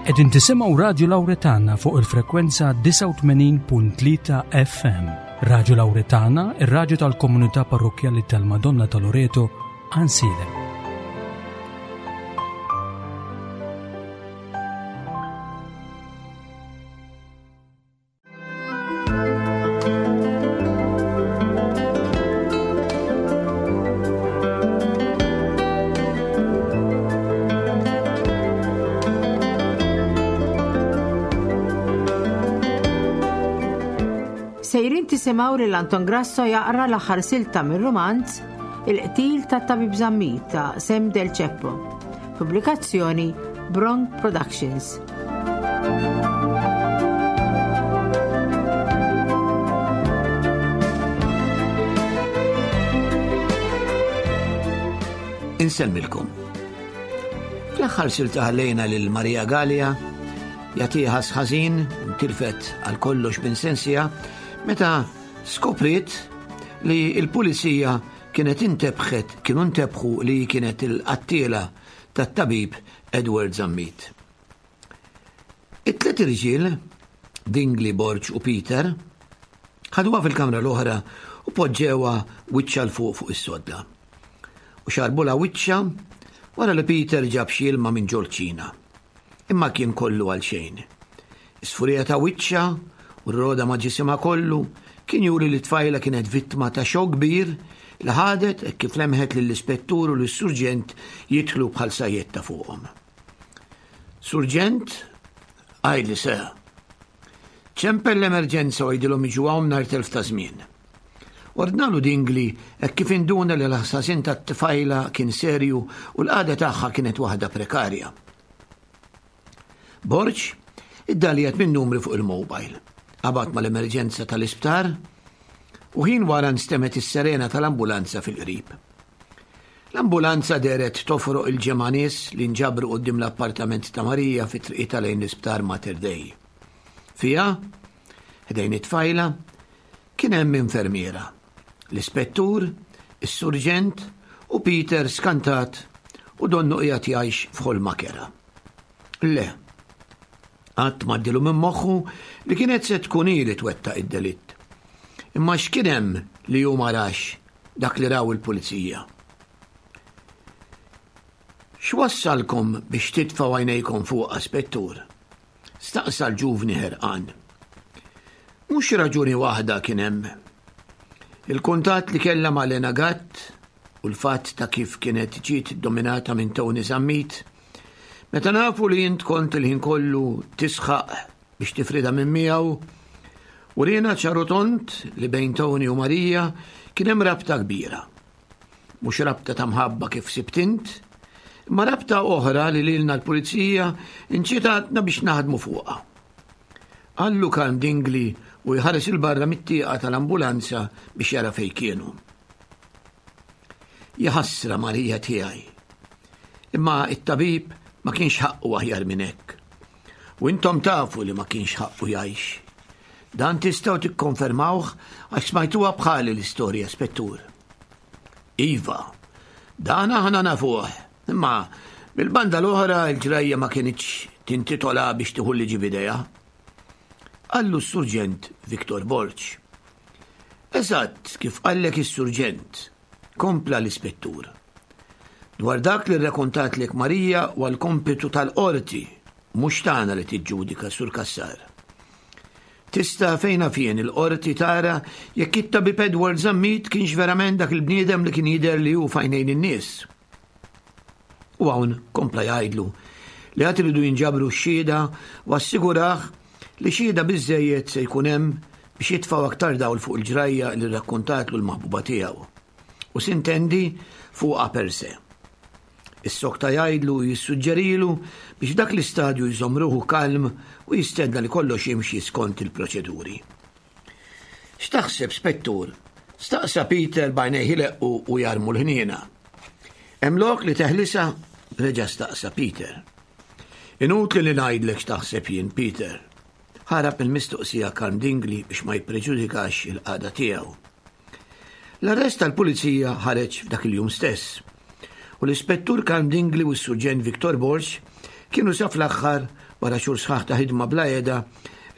Qegħdin tisimgħu Radju Lawretana fuq il-frekwenza 89.3 FM. Radju Lawretana, ir-radju tal-komunità parrokkjali tal-Madonna ta' Loreto, Ansilem. Sejrin tisimgħu lil Anton Grasso jaqra l-aħħar silta mir-rumanz Il-qtil tat-Tabib Zammit ta' Sam Del Ceppo. Pubblikazzjoni Bronk Productions. Insellmilkom. Fl-aħħar silta ħallejna lil Maria Gallia jagħtiha ħażin tilfet għal kollox minn sensija meta skopriet li l-pulizija kienet intebħet kienu ntebħu li kienet il-qattiela tat-tabib Edward Zammit. It-tlet irġiel, Dingli, Borg u Peter, ħaduha fil-kamra l-oħra u poġġewha wiċċha 'l fuq fuq is-sodda. U xarbulha wiċċha wara li Peter ġab xi ilma minn ġol-kċina. Imma kien kollu għal xejn. Is-sfurija ta' wiċċha u r-roda ma' ġisimha kollu kien juri li t-tfajla kienet vittma ta' xokk kbir li ħadet hekk kif lemħet lill-ispettur u lis-surġent jidħlu bħal sajjetta fuqhom. Surġent, għidli sir. Ċempel l-emerġenza u għidilhom jiġu hawn mingħajr telf ta' żmien. Ordnalu Dingli hekk kif induna li l-ħsasin tat-tfajla kien serju u l-qagħda tagħha kienet waħda prekarja. Borg iddaljat minn numri fuq il-mobile. Qabad mal-emerġenza tal-isptar u ħin wara nstemet is-serena tal-ambulanza fil-qrib. L-ambulanza dehret tofroq il-ġemgħa nies li nġabru quddiem l-appartament ta' Marija fi triqitha lejn l-isptar Mater Dei. Fiha, ħdejn it-tfajla, kien hemm infermiera, l-ispettur, is-surġent u Peter skantat u donnu qiegħed jgħix f'ħolma kerha. Le. Qatt m'għaddilu minn moħħu li kienet se tkun hi li twettaq id-delitt. Imma x'kien hemm li hu ma rax dak li raw il-pulizija? X'wassalkom biex titfgħu għajnejkom fuqha, Spettur? Staqsa l-ġuvni ħerqan. Mhux raġuni waħda kien hemm. Il-kuntatt li kellha ma' Lena Gatt u l-fatt ta' kif kienet ġiet dominata minn Tony Zammit Meta nafu li int kont il-ħin kollu tisħaq biex tifridha minn miegħu, uriena ċar u tond li bejn Tony u Marija kien hemm rabta kbira. Mhux rabta ta' mħabba kif sibt int, imma rabta oħra li lilna l-pulizija inċitatna biex naħdmu fuqha. Qallu Karm Dingli u jħares 'il barra mit-tieqa tal-ambulanza biex jara fejn kienu. Jaħasra Marija tiegħi. Imma it-tabib ma kienx ħaqqu aħjar minn hekk. U intom tafu li ma kienx ħaqqu jgħix. Dan tistgħu tikkonfermawh għax smajtuha bħali l-istorja, spettur. Iva, dan aħna nafuh, imma mill-banda l-oħra l-ġrajja ma kinitx tintitola biex tieħu l-liġi b'idejha. Qallu s-Surġent Victor Borg. Eżatt kif qallek is-Surġent, kompla l-Ispettur. Dwar dak li rrakontatlek Marija huwa l-kompitu tal-Qorti, mhux tagħna li tiġġudika, Sur Cassar. Tista' fejn naf jien il-Qorti tara jekk it-tabib Edward Zammit kienx verament dak il-bniedem li kien jidher li hu f'għajnejn in-nies. U hawn kompla jgħidlu li għad iridu jinġabru x-xhieda u assigurah li xhieda biżżejjed se jkun hemm biex jitfgħu aktar dawl fuq il-ġrajja li rrakkontatlu l-maħbuba tiegħu. U sintendi fuqha per se. Issokta jgħidlu u jissuġġerilu biex f'dak l-istadju jżomm ruħu kalm u jistenna li kollox jimxi skont il-proċeduri. X'taħseb, Spettur? staqsa Peter b'għajnejh ileqqu u jarmu l-ħniena. Hemm lok li teħlisha? reġa' staqsa Peter. Inutli li ngħidlek x'taħseb jien, Peter. Ħarab mill-mistoqsija Karm Dingli biex ma jippreġudikax il-qagħda tiegħu. L-arrest tal-pulizija ħareġ f'dak il-jum stess u l-Ispettur Karm Dingli u s-Surġent Victor Borg kienu sa fl-aħħar Wara xhur sħaħ ta' ħidma bla heda,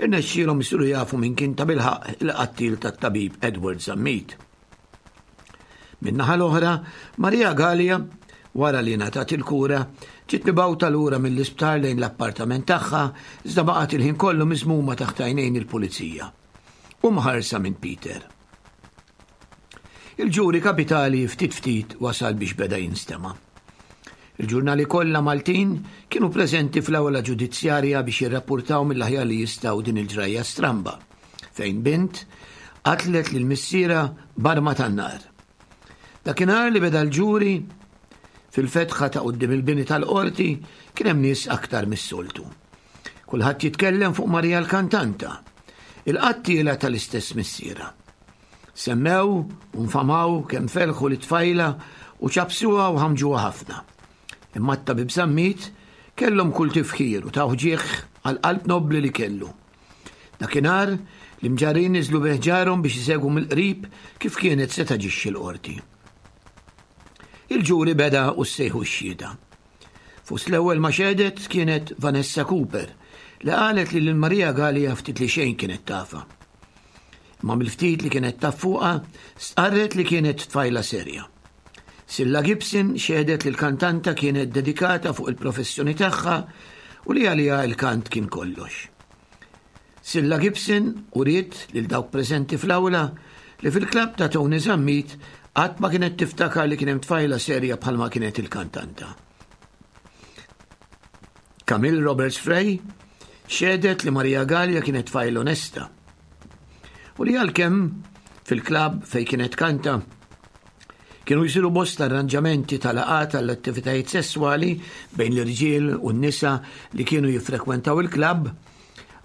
irnexxielhom isiru jafu min kien tabilħaqq il-qattiel tat-tabib Edward Zammit. Min-naħa l-oħra, Maria Galea, wara li ngħatat il-kura, ġiet mibgħuta lura mill-isptar lejn l-appartament tagħha iżda baqgħet il-ħin kollu miżmuma taħt għajnejn il-pulizija u mħarsa minn Peter. Il-ġuri kapitali ftit ftit wasal biex beda jinstema'. Il-ġurnali kollha Maltin kienu preżenti fl-awla ġudizzjarja biex jirrappurtaw mill-aħjar li jistgħu din il-ġrajja stramba fejn bint qatlet lil missierha b'arma tan-nar. Dakinhar li beda l-ġuri, fil-fetħa ta' quddiem il-bini tal-qorti kien hemm nies aktar mis-soltu. Kulħadd jitkellem fuq Marija l-kantanta, il-qattiela tal-istess missierha. Semmew u nfamaw kemm felħu lit-tfajla u ċappsuha u ħammġuha ħafna. Imma t-tabib Zammit kellhom kull tifħir u tawh ġieħ għall-qalb nobbli li kellu. Dakinhar, l-imġarrin niżlu bi ħġarhom biex isegwu mill-qrib kif kienet se taġixxi l-qorti. Il-ġuri beda u ssejħu x-xhieda. Fost l-ewwel ma xehdet kienet Vanessa Cooper li qalet li lil Maria Galea ftit li xejn kienet tafha. Imma mill-ftit li kienet taf fuqha stqarret li kienet tfajla serja. Silla Gibson xehdet li l-kantanta kienet dedikata fuq il-professjoni tagħha u li għaliha l-kant kien kollox. Silla Gibson uriet lil dawk preżenti fl-awla li fil-klabb ta' Tony Zammit qatt ma kienet tiftakar li kien hemm tfajla serja bħalma kienet il-kantanta. Camille Roberts Frey xehdet li Maria Galea kienet tfajla onesta u li għalkemm fil-klabb fejn kienet kanta Kienu jsiru bosta arranġamenti ta' laqgħat għall-attivitajiet sesswali bejn l-irġiel u n-nisa li kienu jiffrekwentaw il-klabb,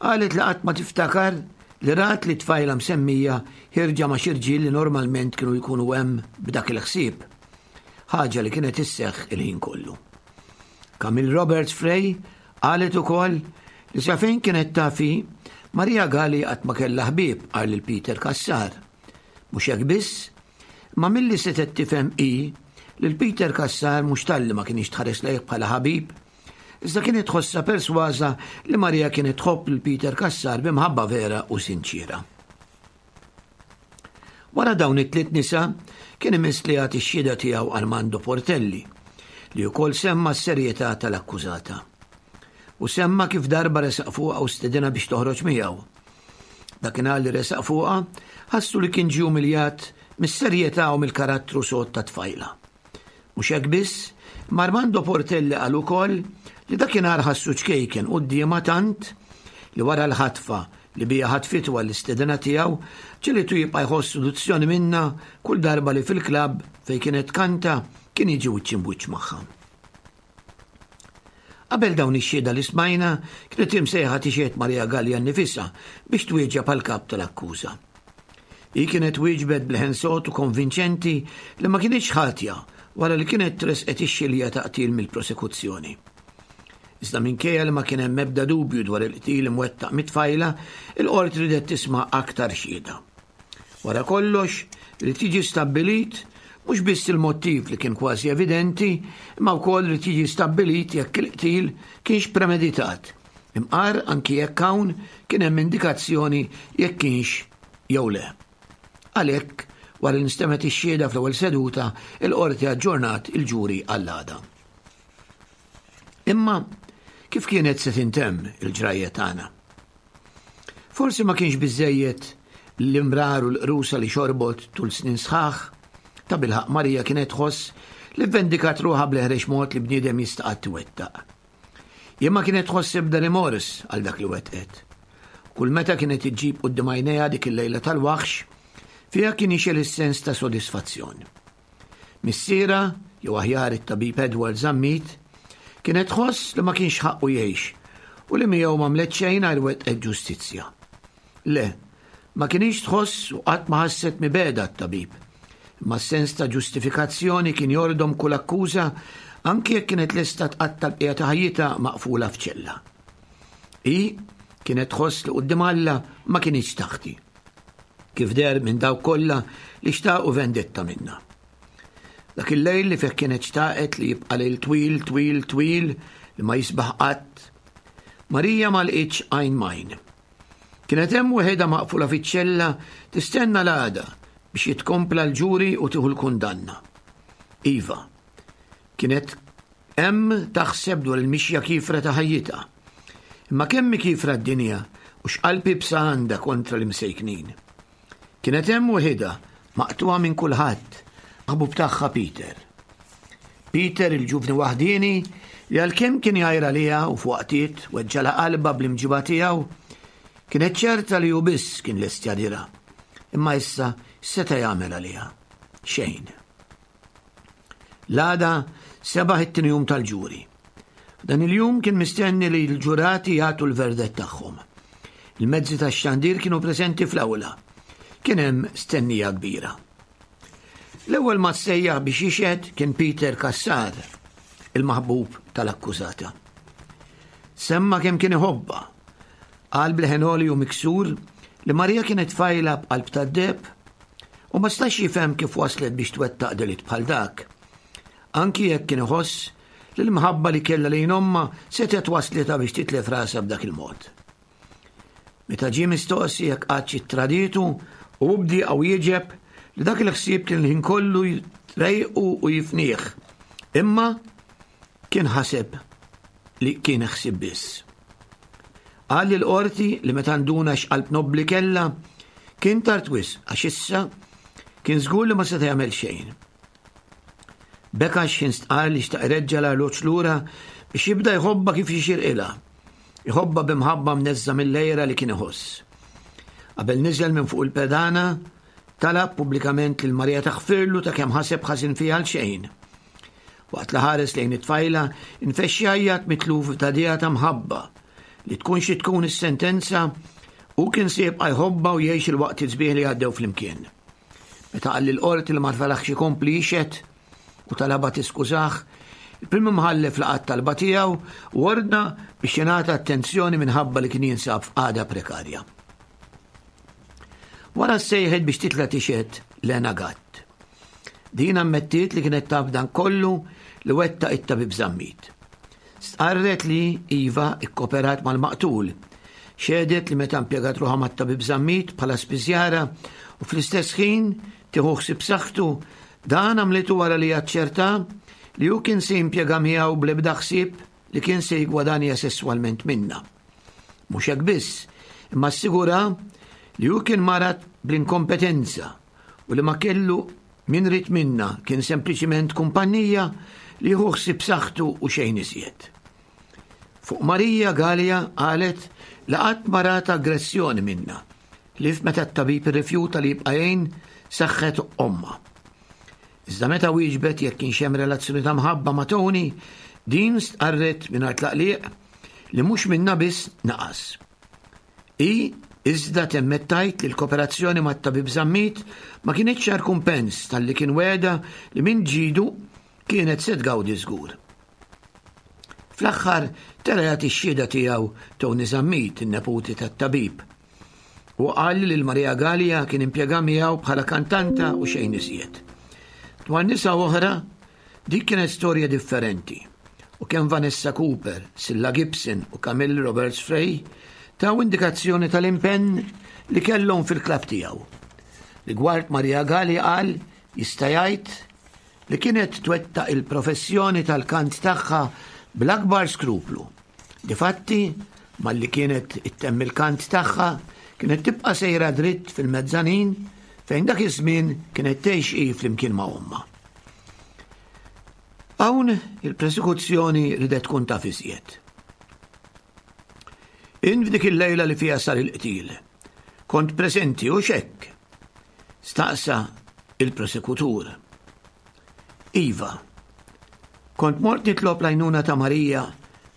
qalet li qatt ma tiftakar li rat li tfajla msemmija ħierġa ma' xi rġiel li normalment kienu jkunu hemm b'dak il-ħsieb. Ħaġa li kienet isseħħ il-ħin kollu. Camille Roberts Frey qalet ukoll li sa fejn kienet taf hi, Maria Gali qatt ma kellha ħbieb qal lil Peter Cassar. Mhux hekk biss, Imma milli setgħet tifhem hi li l-Peter Cassar mhux talli ma kinitx tħares lejh bħala ħabib, iżda kienet tħossha persważa li Maria kienet tħobb lil Peter Cassar bi mħabba vera u sinċiera. Wara dawn it-tliet nisa kien imiss li jagħti x-xhieda tiegħu Armando Portelli, li wkoll semma s-serjetà tal-akkużata. U semma kif darba resaq fuqha u stedinha biex toħroġ miegħu. Dakinhar li resaq fuqha, ħassu li kien ġie umiljat mis-serjetà u mill-karattru sod tat-tfajla. Mhux hekk biss, imma Armando Portelli qal ukoll li dakinhar ħassu ċkejken quddiemha tant li wara l-ħatfa li biha ħatfitu għall-istedina tiegħu, ġegħlitu jibqa' jħoss seduzzjoni minnha kull darba li fil-klabb fejn kienet tkanta kien jiġi wiċċ imb'wiċċ magħha. Qabel dawn ix-xhieda li smajna, kienet imsejħa tixhed Maria Galea nnifisha biex twieġeb għall-kap tal-akkuża. Hi kienet wieġbet b'leħen sod u konvinċenti li ma kinitx ħatja wara li kienet tressqet ix-xilja ta' qtil mill-prosekuzzjoni. Iżda minkejja li ma kien hemm ebda dubju dwar il-qtil imwettaq mit-tfajla, il-qorti ridet tisma' aktar xhieda. Wara kollox, irid jiġi stabbilit mhux biss il-mottiv li kien kważi evidenti, imma wkoll irid jiġi stabbilit jekk il-qtil kienx premeditat, imqar anki jekk hawn kien hemm indikazzjoni jekk kienx jew le. Għalhekk, wara li nstemgħet ix-xhieda fl-ewwel seduta, il-Qorti aġġornat il-ġuri għall-għada. Imma kif kienet se tintemm il-ġrajja tagħna? Forsi ma kienx biżżejjed l-imrar u l-qrusa li xorbot tul snin sħaħ. Tabilħaqq Marija kienet tħoss li vvendikat ruħha bl-eħrex mod li bniedem jista' qatt iwettaq. Jien ma kienet tħoss ebda rimors għal dak li wettqet. Kull meta kienet iġġib quddiem għajnejha dik il-lejla tal-waħx, fiha kien jixgħel is-sens ta' sodisfazzjon. Missierha, jew aħjar it-tabib Edward Zammit, kienet tħoss li ma kienx ħaqqu jgħix u li miegħu m'għamlet xejn għajr wettqet ġustizzja. Le, ma kinitx tħoss u qatt ma ħasset mibegħda għat-tabib. Imma s-sens ta' ġustifikazzjoni kien jordom kull akkuża anki jekk kienet lesta tqatta' l-bqija ta' ħajjitha maqfula f'ċella. Hi kienet tħoss li quddiem Alla ma kinitx taħti. Kif deher minn dawk kollha li xtaqu vendetta minnha. Dak il-lejl li fih kienet xtaqet li jibqa' lejl twil, twil, twil li ma jisbaħ qatt. Marija ma lqitx għajn m'għajn. Kienet hemm weħidha maqfula fiċ-ċella tistenna l-għada biex jitkompla l-ġuri u tieħu l-kundanna. Iva, kienet hemm taħseb dwar il-mixja kiefra ta' ħajjitha. Imma kemm hi kiefra d-dinja u x'qalb iebsa għandha kontra l-imsejknin. Kienet hemm weħidha, maqtugħa minn kulħadd, maħbub tagħha Peter. Peter il-ġuvni waħdieni li għalkemm kien jgħir għaliha u f'waqtiet weġġalha qalbha bl-imġiba tiegħu, kienet ċerta li hu biss kien lest jagħdirha. Imma issa x'seta' jagħmel għaliha? Xejn. L-għada sebaħ it-tieni jum tal-ġuri. F'dan il-jum kien mistenni li l-ġurati jagħtu l-verdett tagħhom. Il-mezzi tax-xandir kienu preżenti fl-awla. Kien hemm stennija kbira. L-ewwel ma ssejjaħ biex jixhed kien Peter Cassar, il-maħbub tal-akkużata. Semma kemm kien iħobbha. Qal b'leħen għoli u miksur li Maria kienet tfajla b'qalb tad-deheb u ma stax jifhem kif waslet biex twettaq delitt bħal dak. Anki jekk kien iħoss li l-imħabba li kellha lejn ommha setgħet waslitha biex titlef rasha b'dak il-mod. Meta ġie mistoqsi jekk qattx ittradietu, hu bdieqa wieġeb li dak il-ħsieb kien il-ħin kollu jtrejqu u jifnih. Imma kien ħaseb li kien ħsieb biss. Qal lill-qorti li meta nduna x'qalb nobbli kellha, kien tard wisq għax issa kien żgur li ma seta' jagħmel xejn. Beka x'ħin stqarr li xtaq ireġġa' l-arloġġ lura biex jibda jħobbha kif jixirqilha. Iħobbha b'imħabba mneżża' mill-għira li kien iħoss. Qabel niżel minn fuq il-pedana, talab pubblikament lil Marija taħfirlu ta' kemm ħaseb ħażin fiha għal xejn. Waqt li ħares lejn it-tfajla, infexx jgħajjat mitluf f'tagħdija ta' mħabba. Li tkun xi tkun is-sentenza, hu kien se jibqa' jħobbha u jgħix il-waqtiet sbieħ li għaddew flimkien. Meta qal lill-qorti li ma felaħx ikompli jixhed u talabha tiskużah, il-Prim Imħallef laqa' t-talba tiegħu u ordna biex jingħata attenzjoni minħabba li kien jinsab f'qagħda prekarja. Wara ssejħet biex titla' tixhed Lena Gatt. Din ammettiet li kienet taf dan kollu li wettaq it-tabib Zammit. Stqarret li, iva, ikkoperat mal-maqtul. Xehdet li meta impjegat ruħha mat-tabib Zammit bħala spiżjara u fl-istess ħin tieħu ħsieb saħħtu, dan għamlitu wara li aċċerta li hu kien se jimpjega miegħu bl-ebda ħsieb li kien se jiggwadanja sesswalment minnha. Mhux hekk biss, imma assigura li hu kien marad bl-inkompetenza u li ma kellu min ried minnha kien sempliċiment kumpannija li jieħu ħsieb saħħtu u xejn iżjed. Fuq Marija Galea qalet li qatt ma rat aggressjoni minnha, ħlief meta t-tabib irrifjuta li jibqa' jgħin saħħet ommha. Iżda meta wieġbet jekk kienx hemm relazzjoni ta' mħabba ma' Tony, din stqarret mingħajr tlaqliq li mhux minnha biss naqas. Hi iżda temmet tgħid li l-koperazzjoni mat-tabib Zammit ma kinitx għar kumpens talli kien wegħda li minn ġidu kienet se tgawdi żgur. Fl-aħħar tela' jagħti x-xhieda tiegħu Tony Zammit, in-neputi tat-tabib. Hu qal li lil Maria Galea kien impjega miegħu bħala kantanta u xejn iżjed. Dwar nisa oħra, dik kienet storja differenti u kemm Vanessa Cooper, Cilla Gibson u Camille Roberts Frey taw indikazzjoni tal-impenn li kellhom fil-klabb tiegħu. Rigward Maria Galea qal jista' jgħid li kienet twettaq il-professjoni tal-kant tagħha bl-akbar skruplu. Difatti, malli kienet ittemm il-kant tagħha, kienet tibqa' sejra dritt fil-mezzanin fejn dak iż-żmien kienet tgħix hi flimkien ma' ommha. Hawn il-prosekuzzjoni ridet tkun taf iżjed. In f'dik il-lejla li fiha sar il-qtil, kont preżenti u xekk. Staqsa il-prosekutur. Iva, kont mort nitlob l-għajnuna ta' Marija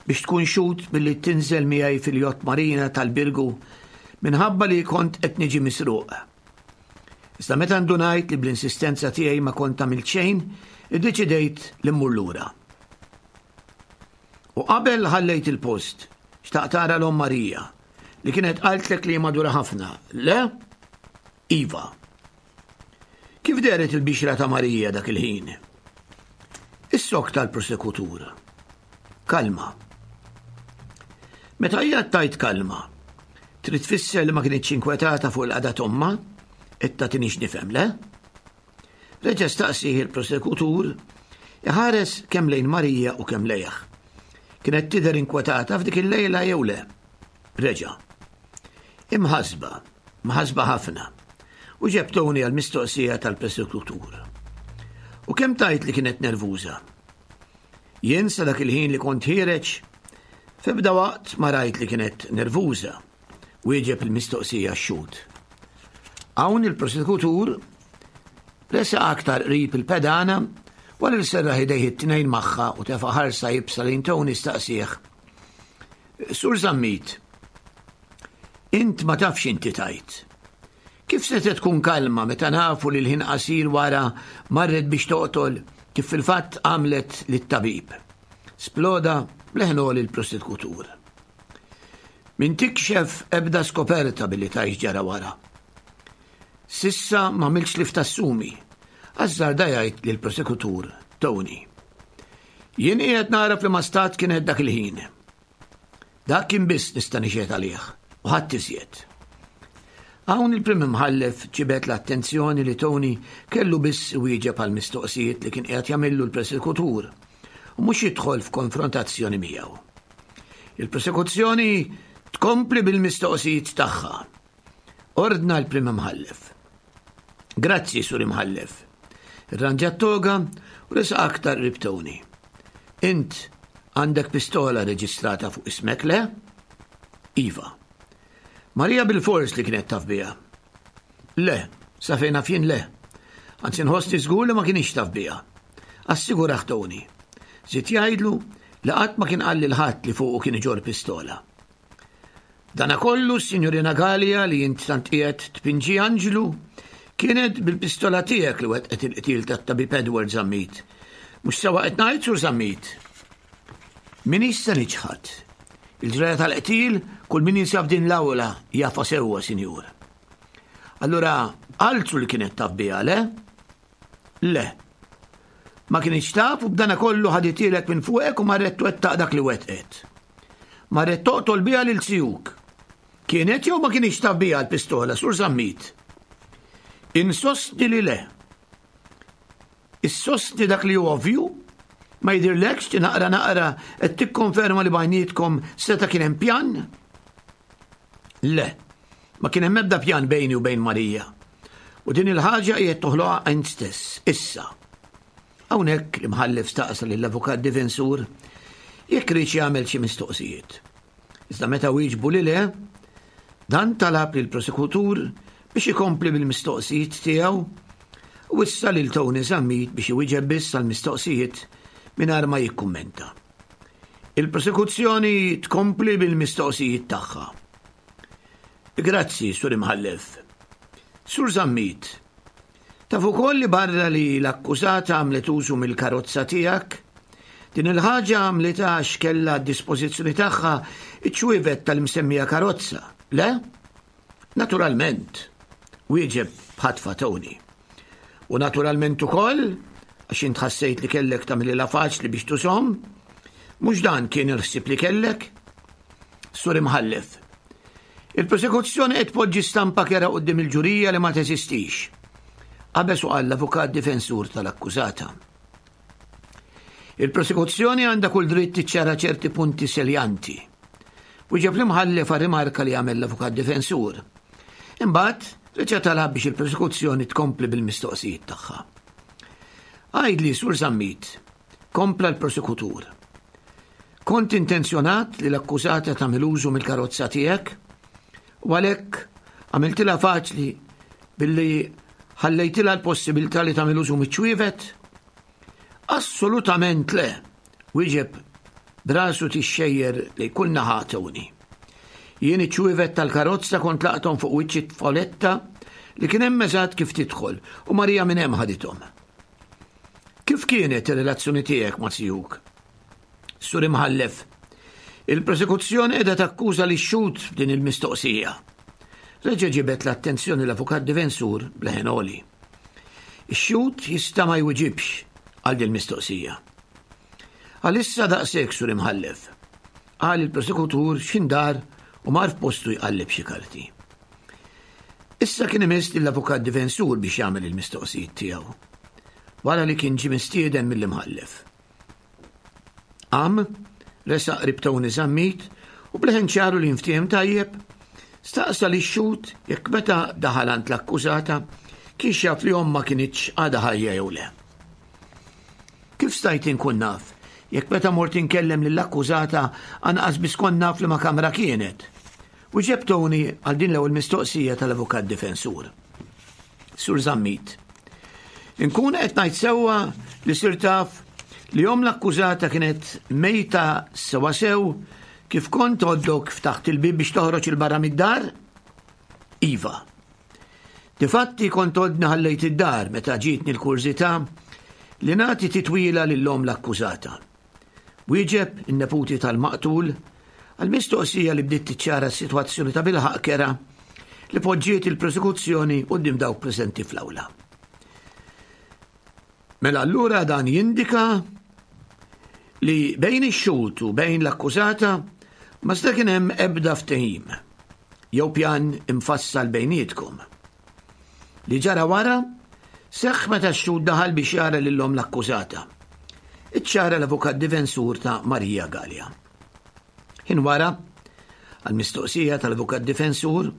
biex tkun xhud billi tinżel miegħi fil-jott marina tal-Birgu minħabba li kont qed niġi misruq. Iżda meta ndunajt li bl-insistenza tiegħi ma kont għamilt xejn, iddeċidejt li mmur lura. U qabel ħallejt il-post, xtaqt tara l-omm Marija, li kienet qaltlek li madura ħafna. Le? Iva. Kif dehret il-bixra ta' Marija dak il-ħin? Is-sokk tal-prosekutur. Kalma. Meta hija tgħid kalma, trid tfisser li ma kinitx inkwetata fuq il-qagħda t'ommha? Qed tagħtini x'nifhem, le? Reġa' staqsih il-prosekutur, iħares kemm lejn Marija u kemm lejh. Kienet tidher inkwetata f'dik il-lejla jew le? Reġa'. Imħassba, mħassba ħafna. U ġeb Tony għall-mistoqsija tal-prosekutur. U kemm tgħid li kienet nervuża? Jien sa dak il-ħin li kont ħiereġ, f'ebda waqt ma rajt li kienet nervuża, wieġeb il-mistoqsija x-xhud. Hawn il-prosekutur resaq aktar qrib il-pedana wara li serraħ idejh it-tnejn magħha u tefa' ħarsa iebsa lejn Tony staqsieh. Sur Zammit, int ma tafx inti tajt. Kif setgħet tkun kalma meta nafu li l-ħin qasir wara marret biex toqtol kif fil-fatt għamlet lit-tabib? Sploda b'leħen għoli l-prosekutur. Min tikxef ebda skoperta billi tgħix ġara wara. Sissa m'għamiltx li ftassumi, azzarda jgħid lill-prosekutur Tony. Jien qiegħed nara f'liema stat kienet dak il-ħin. Dak kien biss nista' nixhed għalih u ħadd iżjed. Hawn il-Prim Imħallef ġibed l-attenzjoni li Tony kellu biss iwieġeb għal mistoqsijiet li kien qiegħed jagħmillu l-prosekutur u mhux jidħol f'konfrontazzjoni miegħu. Il-prosekuzzjoni tkompli bil-mistoqsijiet tagħha. Ordna l-Prim Imħallef. Grazzi, Sur Imħallef. Irranġa t-toga u resaq aktar qrib Tony. Int għandek pistola reġistrata fuq ismek, le? Iva. Marija bil-fors li kienet taf biha. Le, sa fejn naf jien le. Anzi nħossni żgur li ma kienx taf biha. Assigurah Tony. Żied jgħidlu li qatt ma kien qal lil ħadd li fuqu kien iġorr pistola. Dana kollu, s-Sinjurina Galea li int tant qiegħed tpinġi anġlu, kienet bil-pistola tiegħek li wettqet il-qtil tat-tabib Edward Zammit. Mhux sewwa qed ngħid, Sur Zammit? M'iniex se niċħad. Il-ġraja tal-qtil kull min jinsab din l-awla jafha sewwa, Sinjur. Allura, altru li kienet taf biha, le? Le. Ma kinitx taf u b'dana kollu ħaditielek minn fuqek u marret twettaq dak li wettqet. Marret toqtol biha lil zijuk. Kienet jew ma kinitx taf biha l-pistola, Sur Zammit? Insostni li le. Issostni dak li hu ovvju? Ma jidhirlekx li naqra naqra qed tikkonferma li bajnietkom seta' kien hemm pjan? Le, ma kien hemm ebda pjan bejni u bejn Marija. U din il-ħaġa qiegħed toħloqha int stess, issa. Hawnhekk l-imħallef staqsa lill-avukat difensur jekk riedx jagħmel xi mistoqsijiet. Iżda meta wieġbu li le, dan talab lill-prosekutur biex ikompli bil-mistoqsijiet tiegħu u wissa lil Tony Zammit biex iwieġeb biss għall-mistoqsijiet mingħajr ma jikkummenta. Il-prosekuzzjoni tkompli bil-mistoqsijiet tagħha. Grazzi, Sur Imħallef. Sur Zammit, taf ukoll li barra li l-akkużata għamlet użu mill-karozza tiegħek, din il-ħaġa għamlitha għax kellha għad-dispożizzjoni tagħha ċ-ċwievet tal-imsemmija karozza, le? Naturalment, wieġeb b'ħatfa Tony. U naturalment ukoll, għax int ħassejt li kellek tagħmililha faċli biex tużhom, mhux dan kien il-ħsieb li kellek? Sur Imħallef, il-prosekuzzjoni qed tpoġġi stampa kera quddiem il-ġurija li ma teżistix. Qabeż u qal l-avukat difensur tal-akkużata. Il-prosekuzzjoni għandha kull dritt tiċċara ċerti punti seljanti. Wieġeb l-imħallef għar-rimarka li għamel l-avukat difensur. Imbagħad, reġa' talab biex il-prosekuzzjoni tkompli bil-mistoqsijiet tagħha. Għidli, Sur Zammit, kompla l-prosekutur. Kont intenzjonat li l-akkużata tagħmel użu mill-karozza tiegħek u għalhekk għamiltilha faċli billi ħallejtilha l-possibilità li tagħmel użu miċ-ċwievet? Assolutament le, wieġeb b'rasu tixxejjer lejn kull naħa Tony. Jien iċ-ċwievet tal-karozza kont laqthom fuq wiċċ it-tfoletta li kien hemm eżatt kif tidħol u Marija minn hemm ħadithom. Kif kienet ir-relazzjoni tiegħek ma' zijuk? Sur Imħallef, il-prosekuzzjoni qiegħda takkuża lix-xhud b'din il-mistoqsija. Reġa' ġibed l-attenzjoni l-avukat difensur b'leħen għoli. Ix-xhud jista' ma jwiġibx għal din mistoqsija. Għalissa daqshekk, Sur Imħallef. Qal il-prosekutur x'indar u mar f'postu jqalleb xi karti. Issa kien imiss lill-avukat difensur biex jagħmel il-mistoqsijiet tiegħu. Wara li kien ġie mistieden mill-imħallef. Qam, resaq qrib Tony Zammit u b'leħen ċaru li jinftiehem tajjeb, staqsa lix-xhud jekk meta daħal għand l-akkużata kienx jaf li ommha kinitx għadha ħajja jew le. Kif stajt inkun naf jekk meta mort inkellem lill-akkużata anqas biss kont naf liema kamra kienet? Wieġeb Tony għal din l-ewwel mistoqsija tal-avukat difensur. Sur Zammit. Inkun qed ngħid sewwa li sir taf li omm l-akkużata kienet mejta sewa sew kif kont għoddok ftaħt il-bib biex toħroġ il-barra mid-dar? Iva. Difatti kont għodni ħallejt id-dar meta ġietni l-kurżità li nagħti titwila lil omm l-akkużata. Wieġeb in-neputi tal-maqtul għall-mistoqsija li bdiet tiċċara s-sitwazzjoni ta' bilħaqq kerha li poġġiet il-prosekuzzjoni quddiem dawk preżenti fl-awla. Mela allura dan jindika li bejn ix-xhud u bejn l-akkużata ma seta' kien hemm ebda ftehim jew pjan imfassal bejnietkom. Li ġara wara seħħ meta x-xhud daħal biex jara lil omm l-akkużata. Iċċara l-avukat difensur ta' Maria Galea. Ħin wara, għall-mistoqsija tal-avukat difensur,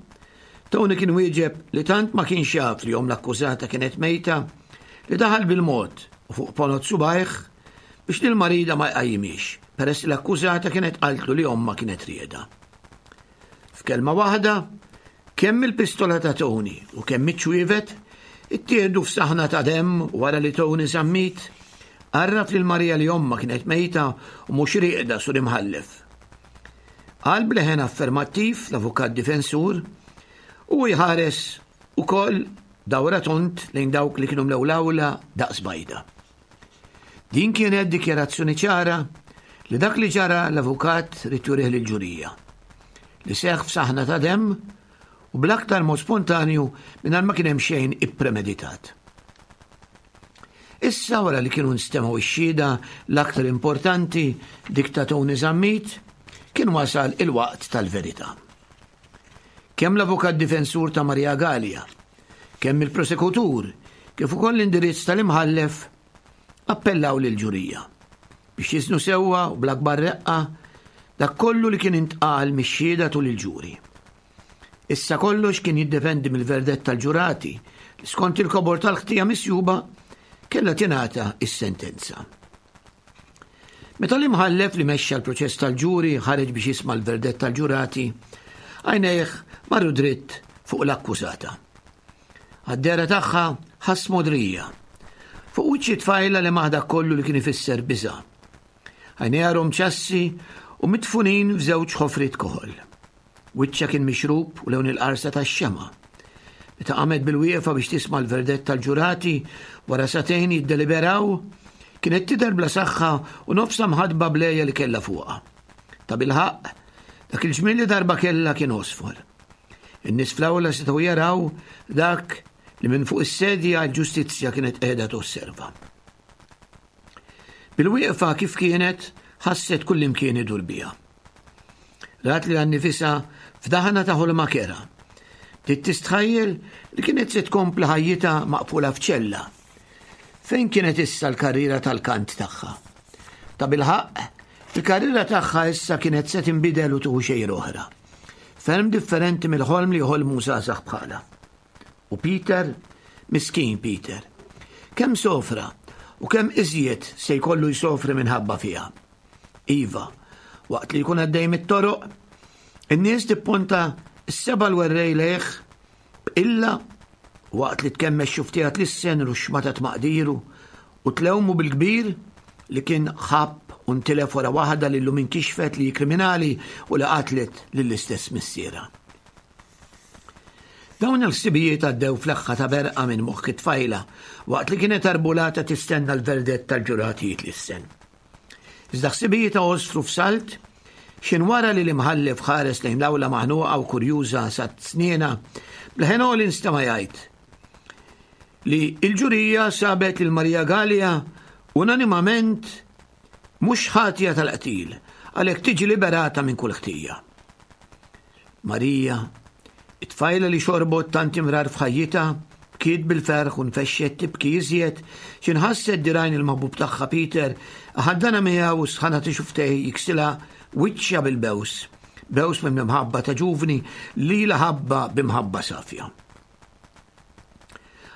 Tony kien wieġeb li tant ma kienx jaf li omm l-akkużata kienet mejta li daħal bil-mod u fuq ponot subajh biex lil marida ma jqajjimhiex peress li l-akkużata kienet qaltlu li ommha kienet rieda. F'kelma waħda, kemm il-pistola ta' Tony u kemm iċ-ċwievet ittieħdu f'saħna ta' demm wara li Tony Zammit għarraf lil Maria li ommha kienet mejta u mhux rieqda sur imħallef. Qal b'leħen affermattiv l-avukat difensur u jħares ukoll dawra tont lejn dawk li kienu mlew l-awla daqs bajda. Din kienet dikjarazzjoni ċara li dak li ġara l-avukat ried jurih lill-ġurija. Li seħħ f'saħna ta' demm u bl-aktar mod spontanju mingħajr ma kien hemm xejn ippremeditat. Issa wara li kienu nstemgħu x-xhieda l-aktar importanti dik ta' Tony Zammit, kien wasal il-waqt tal-verità. Kemm l-avukat difensur ta' Maria Galea, kemm il-prosekutur, kif ukoll l-indirizz tal-imħallef appellaw lill-ġurija biex jiżnu sewwa u bl-akbar reqqa dak kollu li kien intqal mix-xhieda tul il-ġuri. Issa kollox kien jiddependi mill-verdett tal-ġurati li skont il-kobor tal-ħtija misjuba kellha tingħata s-sentenza. Meta l-imħallef li mexxa l-proċess tal-ġuri ħareġ biex jisma' l-verdett tal-ġurati, għajnejh marru dritt fuq l-akkużata. Għad-dehra tagħha ħass mogħdrija. Fuq wiċċ it-tfajla li maħ dak kollu li kien ifisser biża'. Għajnejha rom ċassi u midfunin f'żewġ ħofriet koħol. Wiċċha kien mixrub u lewn il-qarsa tax-xemgħa. Meta qamet bil-wieqfa biex tisma' l-verdett tal-ġurati wara sagħtejn jiddeliberaw, kienet tidher bla saħħa u nofsha mħaddba bl-għeja li kellha fuqha. Tabilħaqq, dak il-ġmiel li darba kellha kien għosfor. In-nies fl-awla setgħu jaraw dak li minn fuq is-sedja l-ġustizzja kienet qiegħda tosserva. Bil-wieqfa kif kienet, ħasset kullimkien idur biha. Rat lilha nnifisha f'daħna ta' ħolma kerha. Bdiet tistħajjel li kienet se tkompli ħajjitha maqfula f'ċella. Fejn kienet issa l-karriera tal-kant tagħha? Tabilħaqq, il-karriera tagħha issa kienet se tinbidel u tieħu xejra oħra. Ferm differenti mill-ħolm li joħolmu żgħażagħ bħalha. U Peter, miskin Peter, kemm sofra u kemm iżjed se jkollu jsofri minħabba fiha. Iva, waqt li jkun għaddej mit-toroq, in-nies tipponta s-seba' l-werrej lejh b'qilla waqt li tkemmex xuftija tlissen ruxxma ta' tmaqdiru u tlewmu bil-kbir li kien ħabb u ntilef wara waħda li llum inkixfet li hi kriminali u li qatlet lill-istess missierha. Dawn il-ħsibijiet għaddew fl-eħħa ta' berqa minn moħħ it-tfajla waqt li kienet arbulata tistenna l-verdett tal-ġurati jitlissen. Iżda ħsibijietha għosfru f'salt x'in wara li l-imħallef ħares lejn l-awla maħnuqa u kurjuża sa sniena, b'leħen għoli nstema' jgħid li l-ġurija sabet lil Maria Galea unanimament Mhux ħatja tal-qtil, għalhekk tiġi liberata minn kull ħtija. Marija, it-tfajla li xorbot tant imrar f'ħajjitha, bkiet bil-ferħ u nfexxet tibki iżjed xi nħasset dirgħajn il-maħbub tagħha Peter iħaddanha miegħu u s-sħana ta' xufftejh jiksilha wiċċha bil-bews, bews minn imħabba ta' ġuvni li lilha ħabbha b'imħabba safja.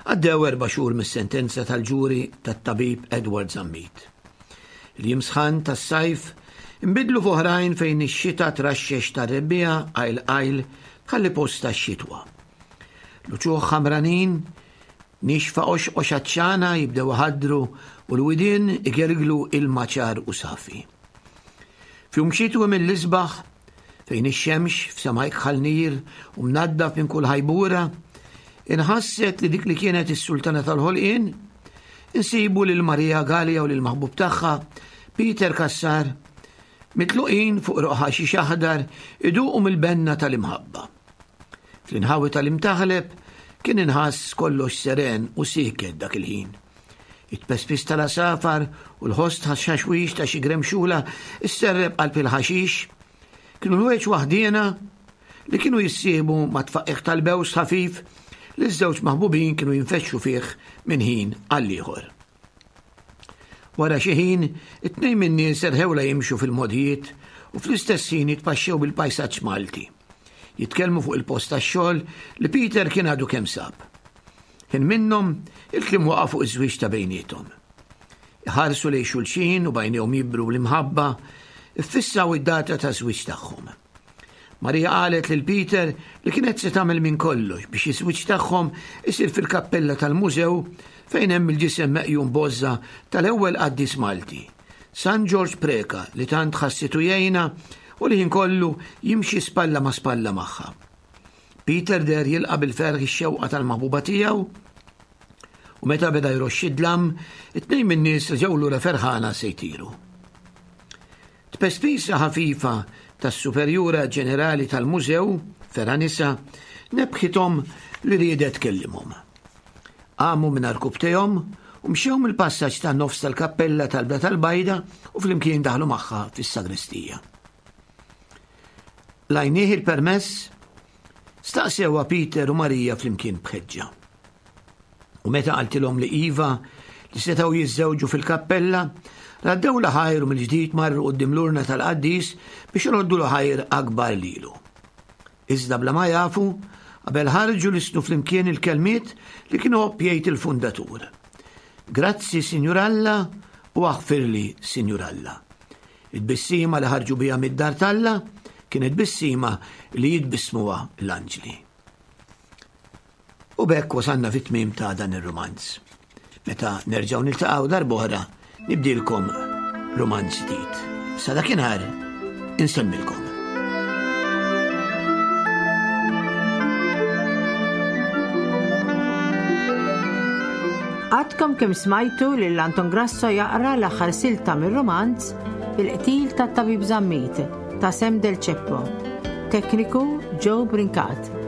Għaddew erba' xhur mis-sentenza tal-ġuri tat-tabib Edward Zammit. Il-jiem sħan tas-sajf inbidlu f'oħrajn fejn ix-xita traxxex tar-rebbiegħa qajl qajl tħalli post għax-xitwa. L-uċuħ ħamranin, nixfa qoxqox għatxana jibdew iħaddru u l-widien igelglu ilma ċar u safi. F'jum xitwi mill-isbaħ, fejn ix-xemx f'sema ikħal nir u mnaddaf minn kull ħajbura, inħasset li dik li kienet is-sultana tal-ħolqien, insibu lil Marija Galea u lil maħbub tagħha, Peter Cassar, mitluqin fuq roq ħaxix aħdar iduqu mill-benna tal-imħabba. Fl-inħawi tal-Imtaħleb kien inħass kollox seren u sieket dak il-ħin. It-tpespis tal-għasafar u l-ħoss tħaxxaxwix ta' xi gremxula sserrep qalb il-ħaxix kienu l-ħwejġ waħdiena li kienu jissieħbu mat-tfaqqigħ tal-bews ħafif li ż-żewġ maħbubin kienu jinfexxu fih minn ħin għall-ieħor. Wara xi ħin, it-tnejn min-nies erħewla jimxu fil-mogħdijiet u fl-istess ħin jitpaxxew bil-pajsaġġ Malti. Jitkellmu fuq il-post tax-xogħol li Peter kien għadu kemm sab. Ħin minnhom, il-kliem waqa' fuq iż-żwieġ ta' bejniethom. Iħarsu lejn xulxin u b'għajnejhom jibru bl-imħabba, iffissaw id-data taż-żwieġ tagħhom. Marija qalet lil Peter li kienet se tagħmel minn kollox biex iż-żwieġ tagħhom isir fil-kappella tal-mużew fejn hemm il-ġisem meqjum b'għożża tal-ewwel qaddis Malti, San Ġorġ Preca li tant ħassitu jgħinha u li ħin kollu jimxi spalla ma' spalla magħha. Peter deher jilqa' bil-ferħ ix-xewqa tal-maħbuba tiegħu u meta beda jroxx id-dlam, it-tnejn min-nies reġgħu lura ferħana se jtiru. Tpespisa ħafifa tas-Superjura Ġenerali tal-Mużew, Fera Nisa, nebbħithom li riedet tkellimhom. Qamu minn għarkupptejhom u mxew mill-passaġġ tan-nofs tal-kappella tal-Bla tal-Bajda u flimkien daħlu magħha fis-sagristija. Lajnieh il-permess? Staqsewha Peter u Marija flimkien b'ħeġġa. U meta qaltilhom li iva, li setgħu jiżżewġu fil-kappella, raddewlha ħajr u mill-ġdid marru quddiem l-urna tal-qaddis biex iroddulu ħajr akbar lilu. Iżda bla ma jafu, qabel ħarġu lissnu flimkien il-kelmiet li kien iħobb jgħid il-fundatur. Grazzi, Sinjur Alla, u aħfirli, Sinjur Alla. It-tbissima li ħarġu biha mid-dar t'Alla kienet tbissima li jitbissmuha l-anġli. U b'hekk wasalna fit-tmiem ta' dan ir-rumanz. Meta nerġgħu niltaqgħu darb'oħra nibdilkom rumanz ġdid. Sa dakinhar insemmilkom. Għadkom kemm smajtu lil Anton Grasso jaqra l-aħħar silta mir-rumanz Il-qtil tat-Tabib Zammit ta' Sam Del Ceppo. Tekniku Joe Brincat.